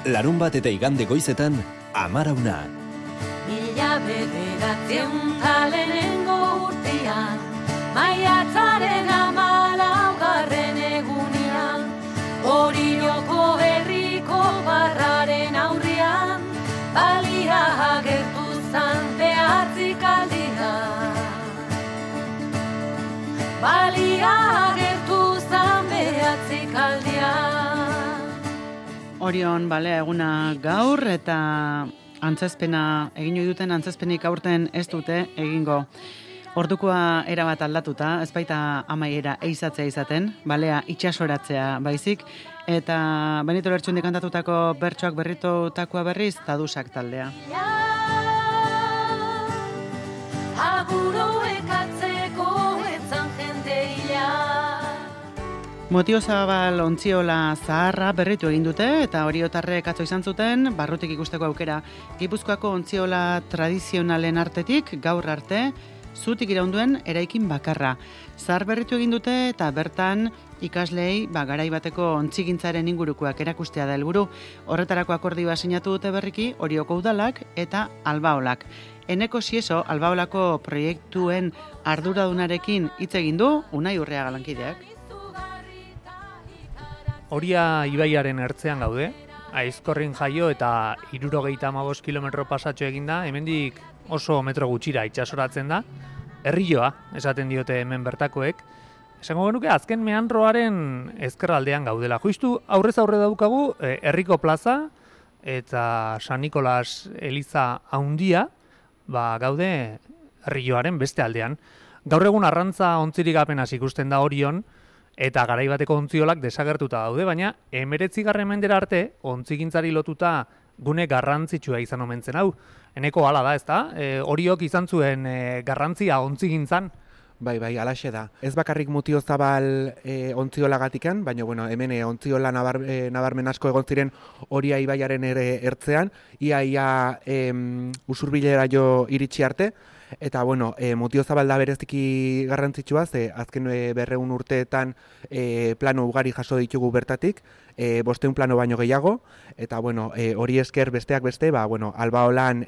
Larunbat eta igande goizetan, Amarauna. Mila bederatzen talenengo urtean, maiatzaren 14. egunean, Orioko herriko barraren aurrean, balia agertu zan behatzikaldia. Balia agertu zan behatzikaldia. Orion balea eguna gaur eta antzezpena egin duten antzezpenik aurten ez dute egingo. Ordukoa erabat aldatuta, ez baita amaiera eizatzea izaten, balea itxasoratzea baizik, eta Benito Lertxundi kantatutako bertsoak berritutakoa berriz Tadusak taldea. Motiozabal ontziola zaharra berritu egin dute eta oriotarrek atzo izan zuten barrutik ikusteko aukera. Gipuzkoako ontziola tradizionalen artetik gaur arte zutik iraunduen eraikin bakarra. Zahar berritu egin dute eta bertan ikaslei garai bateko ontzigintzaren ingurukoak erakustea da helburu. Horretarako akordioa sinatu dute berriki Orioko udalak eta Albaolak. Eneko Sieso Albaolako proiektuen arduradunarekin hitz egin du Unai Urreaga lankideak. Oria ibaiaren ertzean gaude, Aizkorrin jaio eta 75 kilometro pasatxo eginda, hemendik oso metro gutxira itxasoratzen da, herrioa, esaten diote hemen bertakoek. Esango genuke azken meandroaren ezkerraldean gaudela. Justu aurrez aurre daukagu herriko plaza eta San Nikolas eliza handia, gaude herrioaren beste aldean. Gaur egun arrantza ontzirik apenas ikusten da Orion, eta garai bateko ontziolak desagertuta daude, baina 19. mendera arte ontzigintzari lotuta gune garrantzitsua izan omen zen hau. Eneko hala da, ezta? Oriok izan zuen garrantzia ontzigintzan. Bai, alaxe da. Ez bakarrik Mutiozabal ontziolagatikan, baina hemen ontziola nabarmen asko egon ziren Oria ibaiaren ere ertzean, ia Usurbilera jo iritsi arte. Eta, Mutiozabal da bereziki garrantzitsua, ze azken 200 urteetan plano ugari jaso ditugu bertatik, 500 plano baino gehiago, eta, hori esker besteak beste, Albaolan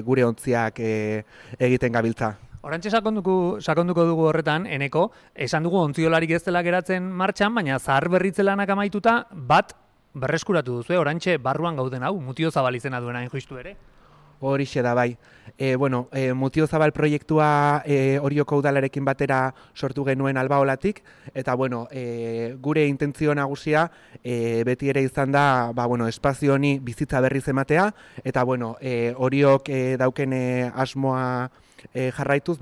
gure ontziak egiten gabiltza. Orantxe sakonduko dugu horretan, Eneko, esan dugu ontziolarik ez dela geratzen martxan, baina zahar berritze lanak amaituta bat berreskuratu duzu, orantxe barruan gauden hau, Mutiozabal izena duena justu ere. Horixe da bai. Mutiozabal proiektua Orioko udalarekin batera sortu genuen Albaolatik, eta gure intentzio nagusia beti ere izan da espazio honi bizitza berriz ematea, eta Oriok dauken asmoa jarraituz,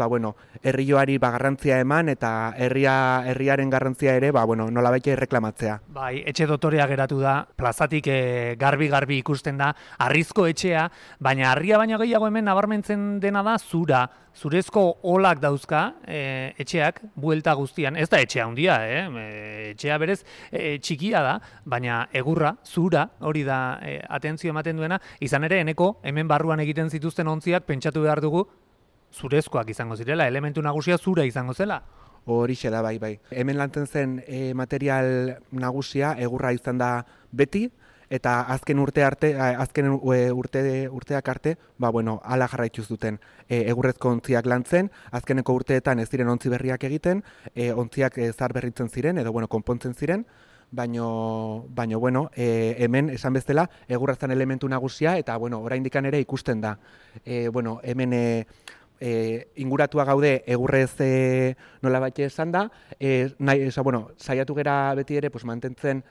herrioari garrantzia eman eta herriaren garrantzia ere nolabait erreklamatzea. Bai, etxe dotorea geratu da, plazatik garbi ikusten da, harrizko etxea, baina harria baina gehiago hemen nabarmentzen dena da zurezko olak dauzka etxeak buelta guztian. Ez da etxea handia, etxea berez txikia da, baina egurra, zura, hori da atentzio ematen duena, izan ere Eneko hemen barruan egiten zituzten ontziak pentsatu behar dugu zurezkoak izango zirela, elementu nagusia zura izango zela. Horixe da bai. Hemen lantzen zen material nagusia egurra izan da beti, eta azken urteak arte, hala jarraituz duten egurrezko ontziak lantzen, azkeneko urteetan ez ziren ontzi berriak egiten, ontziak zahar berritzen ziren, edo konpontzen ziren, baino hemen esan bezala egurra zen elementu nagusia, eta oraindikan ere ikusten da. Hemen inguratua gaude egurrez nolabait esan da, saiatu gera beti ere mantentzen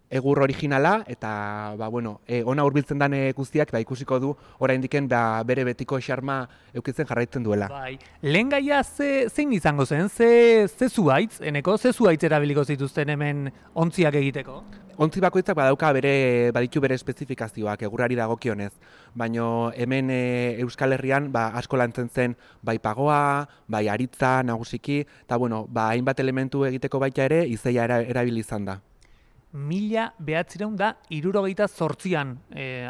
egur originala, eta ona hurbiltzen den guztiak ikusiko du oraindiken bere betiko xarma eukitzen jarraitzen duela. Bai, lehen gaia zein izango zen, ze zuhaitz, Eneko, ze zuhaitz erabiliko zituzten hemen ontziak egiteko? Ontzi bakoitzak baditu bere espezifikazioak egurrari dagokionez, baina hemen Euskal Herrian asko lantzen zen bai pagoa, bai aritza nagusiki, eta hainbat elementu egiteko baita ere izeia erabili izan da. 1978an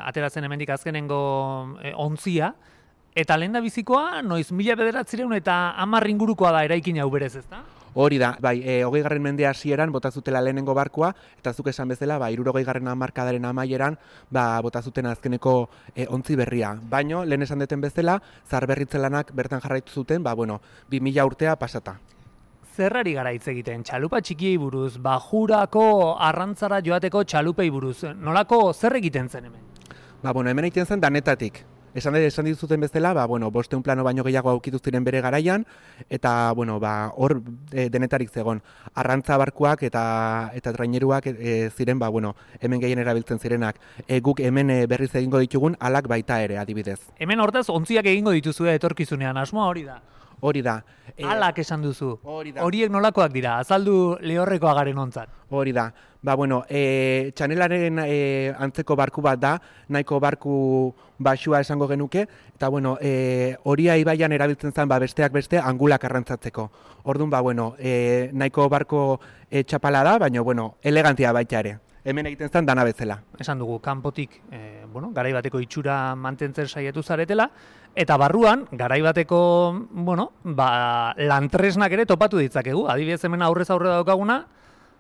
ateratzen hemendik azkenengo ontzia, eta lehendabizikoa noiz 1910 eta 10 ingurukoa da eraikin hau berez, ezta? Hori da, bai, 20. mende hasieran bota zutela lehenengo barkua, eta zuk esan bezala, 60. hamarkadaren amaieran, bota zuten azkeneko ontzi berria. Baino, lehen esan deten bezala, zaharberritze lanak bertan jarraitu zuten, 2000 urtea pasata. Zerrari gara hitz egiten, txalupa txikiei buruz, bajurako arrantzara joateko txalupei buruz, nolako zer egiten zen hemen? Hemen egiten zen danetatik. Esan dizuten bezala, 500 plano baino gehiago aukitu ziren bere garaian, eta hor denetarik zegon. Arrantza barkuak eta traineruak ziren, hemen gehien erabiltzen zirenak. Guk hemen berriz egingo ditugun alak baita ere, adibidez. Hemen hortaz, ontziak egingo dituzue etorkizunean, asmoa hori da? Hori da. Alak esan duzu. Hori da. Horiek nolakoak dira, azaldu lehorrekoa garen ontzat. Hori da. Txanelaren antzeko barku bat da, nahiko barku baxua esango genuke, eta Oria ibaian erabiltzen zen besteak beste angulak arrantzatzeko. Orduan, nahiko barko txapala da, baina elegantia baita ere. Hemen egiten zen dana bezala. Esan dugu, kanpotik garaibateko itxura mantentzen saiatu zaretela, eta barruan, garaibateko, lantresnak ere topatu ditzakegu. Adibidez hemen aurrez aurre daukaguna,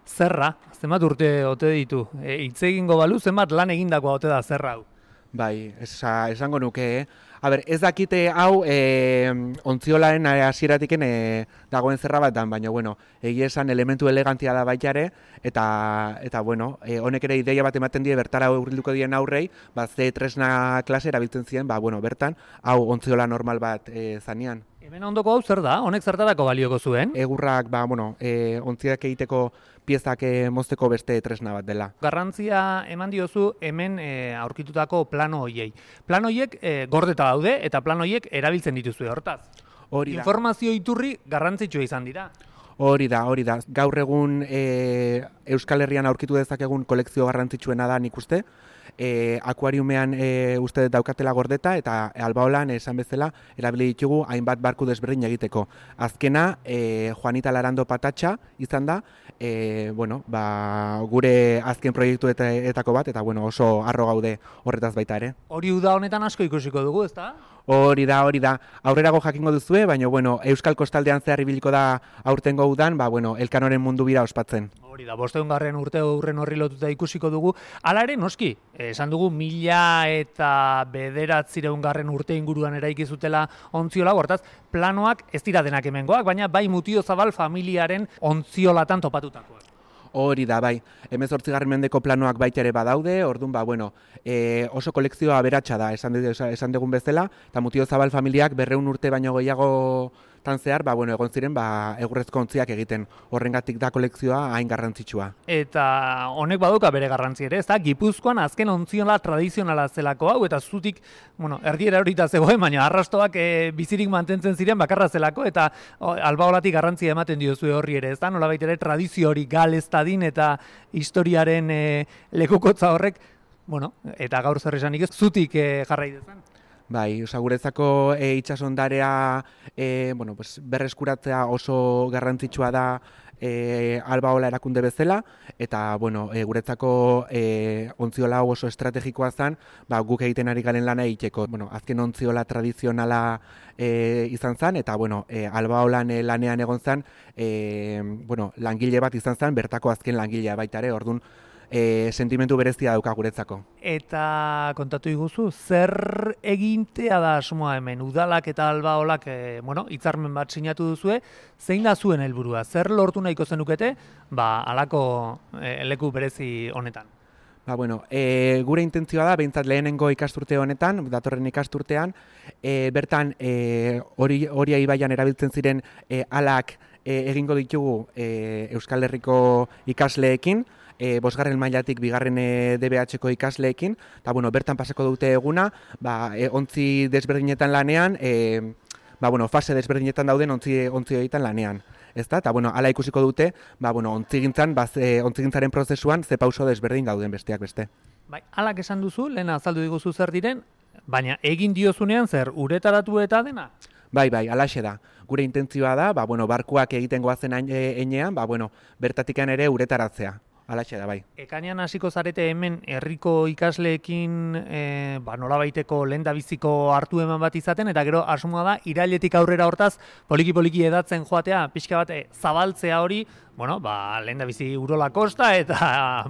zerra, zenbat urte ote ditu. Hitz egingo balu, zenbat lan egindakoa ote da zerra hau. Bai, esango nuke, ez dakite hau ontziolaren hasieratik dagoen zerra bat dan, baina, egia esan elementu elegantia da baita ere, eta honek ere ideia bat ematen die bertara hurbilduko dien aurrei, ze tresna klase erabiltzen ziren, bertan, hau ontziola normal bat zanean. Hemen ondoko hau zer da? Honek zertarako balioko zuen? Egurrak, ontziak egiteko piezak mozteko beste tresna bat dela. Garrantzia eman diozu hemen aurkitutako plano hoiei. Plano hoiek gordeta daude eta plano hoiek erabiltzen dituzue hortaz. Hori da. Informazio iturri garrantzitsua izan dira. Hori da. Gaur egun Euskal Herrian aurkitu dezakegun kolekzio garrantzitsuena da nik uste. Akuariumean uste daukatela gordeta eta Albaolan esan bezala erabili ditugu hainbat barku desberdin egiteko. Azkena Juanita Larando Patatxa izan da, gure azken proiektuetako bat, eta oso harro gaude horretaz baita ere. Hori uda honetan asko ikusiko dugu, ezta? Hori da. Aurrerago jakingo duzue, baina Euskal Kostaldean zehar ibiliko da aurtengo udan, Elkanoren mundu bira ospatzen. Hori da, 500. urte hurren horri lotuta ikusiko dugu. Hala ere, noski, esan dugu 1909 urte inguruan eraiki zutela ontziola, hortaz, planoak ez dira denak hemengoak, baina bai Mutiozabal familiaren ontziolatan topatutakoak. Hori da, bai. 18. mendeko planoak baita ere badaude, orduan, oso kolekzioa aberatsa da, esan dugun bezala, eta Mutiozabal familiak 200 urte baino gehiago zehar, egon ziren, egurrezko ontziak egiten. Horrengatik da kolekzioa hain garrantzitsua. Eta honek baduka bere garrantzi ere, ez da? Gipuzkoan azken ontziola tradizionala zelako hau, eta zutik, erdiera horita zegoen, baina arrastoak bizirik mantentzen ziren bakarra zelako, eta Albaolatik garrantzia ematen diozue horri ere, ez da? Nolabait ere tradizio hori galez dadin eta historiaren lekukotza horrek, eta gaur zer esanik ez, zutik jarrai dezan. Bai, guretzako itsasondarea berreskuratzea oso garrantzitsua da Albaola erakunde bezala, eta guretzako ontziola oso estrategikoa zen, guk egiten ari garen lana egiteko. Azken ontziola tradizionala izan zen, eta Albaolan lanean egon zen, langile bat izan zen, bertako azken langilea baita ere, orduan, sentimentu berezia dauka guretzako. Eta kontatu iguzu, zer egintea da asmoa hemen? Udalak eta Albaolak hitzarmen bat sinatu duzue, zein da zuen helburua? Zer lortu nahiko zenukete, halako leku berezi honetan? Gure intentzioa da, behintzat lehenengo ikasturte honetan, datorren ikasturtean, bertan Oria ibaian erabiltzen ziren alak egingo ditugu Euskal Herriko ikasleekin, 5. mailatik 2. DBH-ko ikasleekin, eta bertan pasako dute eguna, ontzi desberdinetan lanean, fase desberdinetan dauden ontzi egiten lanean. Eta hala ikusiko dute, ontzigintzaren prozesuan ze pauso desberdin gauden besteak beste. Bai, halak esan duzu, lehen azaldu diguzu zer diren, baina egin diozunean zer, uretaratu eta dena? Bai, halaxe da. Gure intentzioa da, barkuak egiten goazen heinean, bertatikan ere uretaratzea. Alaxe da, bai. Ekainean hasiko zarete hemen herriko ikasleekin nolabaiteko lehendabiziko hartu eman bat izaten, eta gero asmoa da irailetik aurrera hortaz poliki-poliki edatzen joatea, pixka bat zabaltzea hori, lehendabizi Urola Kosta eta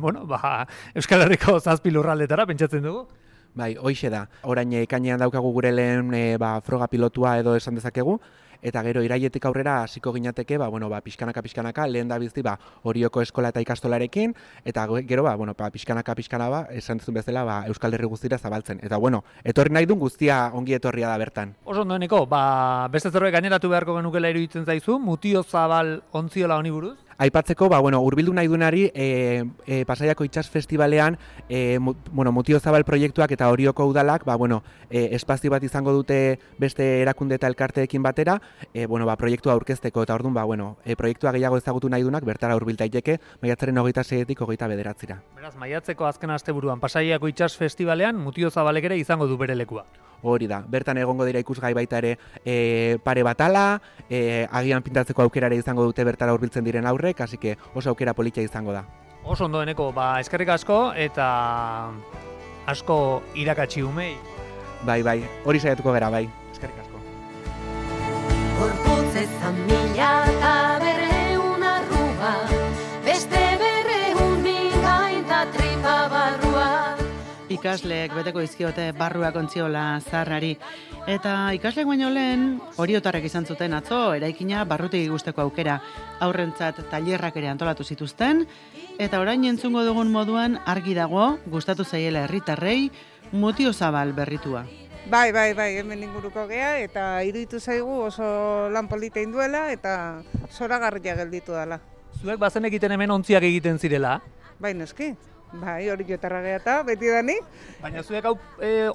Euskal Herriko 7 lurraldetara pentsatzen dugu. Bai, hoixe da. Orain ekainean daukagu gure lehen froga pilotua edo esan dezakegu, eta gero irailetik aurrera hasiko ginateke, pixkanaka, lehen da bizi, Orioko eskola eta ikastolarekin, eta gero, pixkanaka, esan duzun bezala, Euskal Herri guztira zabaltzen. Eta, etorri nahi duen guztia ongi etorria da bertan. Oso ondoeneko, beste zerbait gaineratu beharko genukela iruditzen zaizu, Mutiozabal ontziola honi buruz? Aipatzeko, hurbildu nahi duenari, Pasaiako Itsas Festibalean, Mutiozabal proiektuak eta Orioko udalak, espazio bat izango dute beste erakunde eta elkarteekin batera, proiektua aurkezteko, eta orduan, proiektua gehiago ezagutu nahi duenak, bertara hurbil daiteke, maiatzaren 26-etik 29-era. Beraz, maiatzeko azken asteburuan Pasaiako Itsas Festibalean Mutiozabalek ere izango du bere lekua. Hori da, bertan egongo dira ikusgai baita ere pare batala, agian pintatzeko aukera ere izango dute bertara hurbiltzen diren aurrek, hasi que oso aukera politia izango da. Oso ondoeneko, eskerrik asko eta asko irakatsi umei. Bai, hori saiatuko gara, bai. Eskerrik asko. Gorputz ezan mila eta berreun arrua, beste berreun mingain da tripa barrua. Ikasleek beteko izkiote barruak ontziola zaharrari. Eta ikasleek baino lehen, oriotarrek izan zuten atzo, eraikina barrutik guzteko aukera. Aurrentzat tailerrak ere antolatu zituzten, eta orain entzungo dugun moduan argi dago, gustatu zaiela herritarrei, Mutiozabal berritua. Bai, hemen inguruko gea, eta iruditu zaigu oso lan polita induela, eta zoragarria gelditu dela. Zuek bazen egiten hemen ontziak egiten zirela? Bai, noski. Bai, hori jotarra gea eta beti dani. Baina zuek hau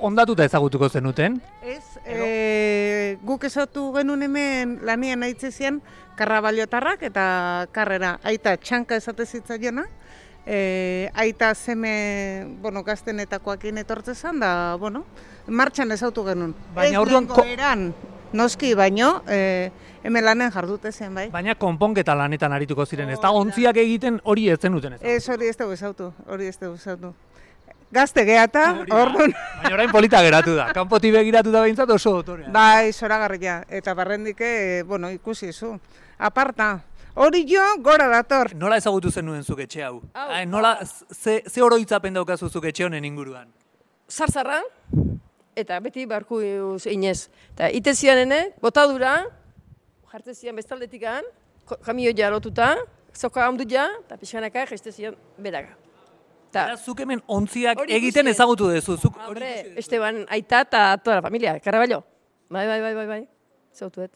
ondatuta ezagutuko zenuten? Ez, guk ezautu genuen hemen lanian aitzezian karrabaliotarrak eta karrera aita txanka esate zitzaiona. Aita zeme, gaztenetakoakin etortzezan da, martxan ezautu genuen. Baina orduan eran, noski, baino, hemen lanen jardute zen, bai. Baina konponketa lanetan arituko ziren, ez da ontziak egiten hori ez zenuten ez? Ez, hori ez dugu ezautu, Gazte geata, orduan. Baina orain polita geratu da, kanpotik begiratu da behintzat oso dotorea. Bai, zoragarria, eta barrendike, ikusi zu. Aparta, hori jo gora dator. Nola ezagutu zenuen zuk etxe hau? Nola, ze oroitzapen daukazu zuk etxe honen inguruan? Zarzarra, eta beti barku inez. Eta ite zian botadura, jartzen zian bestaldetikan, kamioia lotuta, zoka hamdu ja, eta pixkanaka jeste zian beraga. Eta zuk hemen ontziak egiten ezagutu dezu. Hombre, Esteban aita eta toda la familia, Carraballo. Bai, zautuet.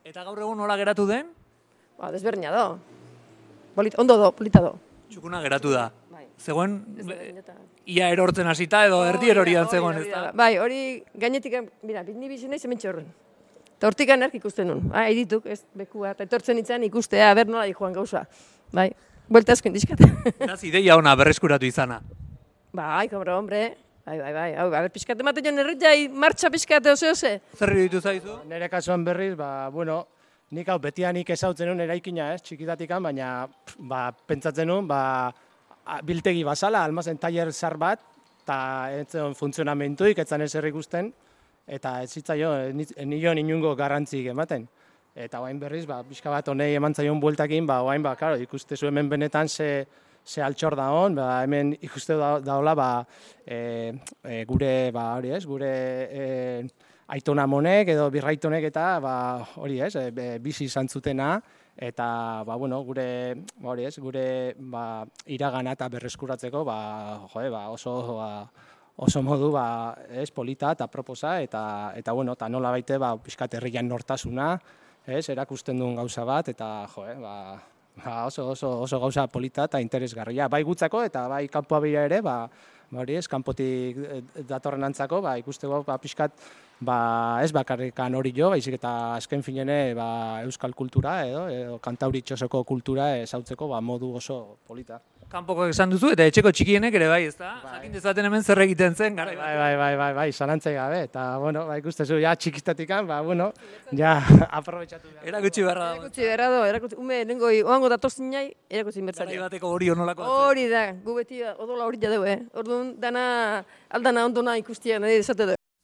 Eta gaur egun nola geratu den? Desberdina do. Ondo do, polita do. Txukuna geratu da. Zegoen, ia erortzen hasita edo erdi erorian zegoen, ez da? Bai, hori gainetik, mira, bitni bizi nahi zementxe horren. Eta hortik anerk ikusten nun. Edituk, ez bekua, eta etortzen nintzen ikustea, ber nola joan gauza. Bai, buelta asko indizkat. Eraz ideia ona berreskuratu izana. Bai, kobro, hombre. Bai. Hau, pixkat emate joan erretzai, martxa pixkat ose. Zer ditu zaizu? Nire kasuan berriz, nik hau betianik ezautzen nun eraikina, txikitatikan, baina pentsatzen nun, biltegi bazala, almazen tailer zar bat, eta etzen funtzionamentuik, etzan ez ikusten, eta ez zitzaio, nion inungo garrantzik ematen. Eta oain berriz, pixka bat honei eman zaion bueltakin, oain, karo, ikuste zu hemen benetan ze altxor da hon, hemen ikuste daola, gure, hori ez, gure aitona monek edo birraitonek eta hori ez, bizi izan zutena, eta gure iragana eta berreskuratzeko oso modu polita eta proposa eta nola baite pixkat herrian nortasuna, erakusten duen gauza bat eta oso gauza polita eta interesgarria. Bai gutzako eta bai kanpoa bira ere, kanpotik datorren antzako, ikusteko pixkat ez bakarrikan hori jo, baizik eta azken finene euskal kultura edo kantauritxosoko kultura ezautzeko modu oso polita. Kanpoko esan duzu eta etxeko txikienek ere bai, ezta? Jakin dezaten hemen zer egiten zen, gara. Bai, zalantzai gabe, eta, ikustezu, ja txikistatikan, ja aprobetxatu behar. Erakutsi beharra dago. Erakutsi beharra dago, ume, nengo oango datorzin jai, erakutsi bertzari. Garai bateko hori honolako. Hori da, gu beti odola hori jadeu, Orduan, aldana ondona ikustiak nahi desate du.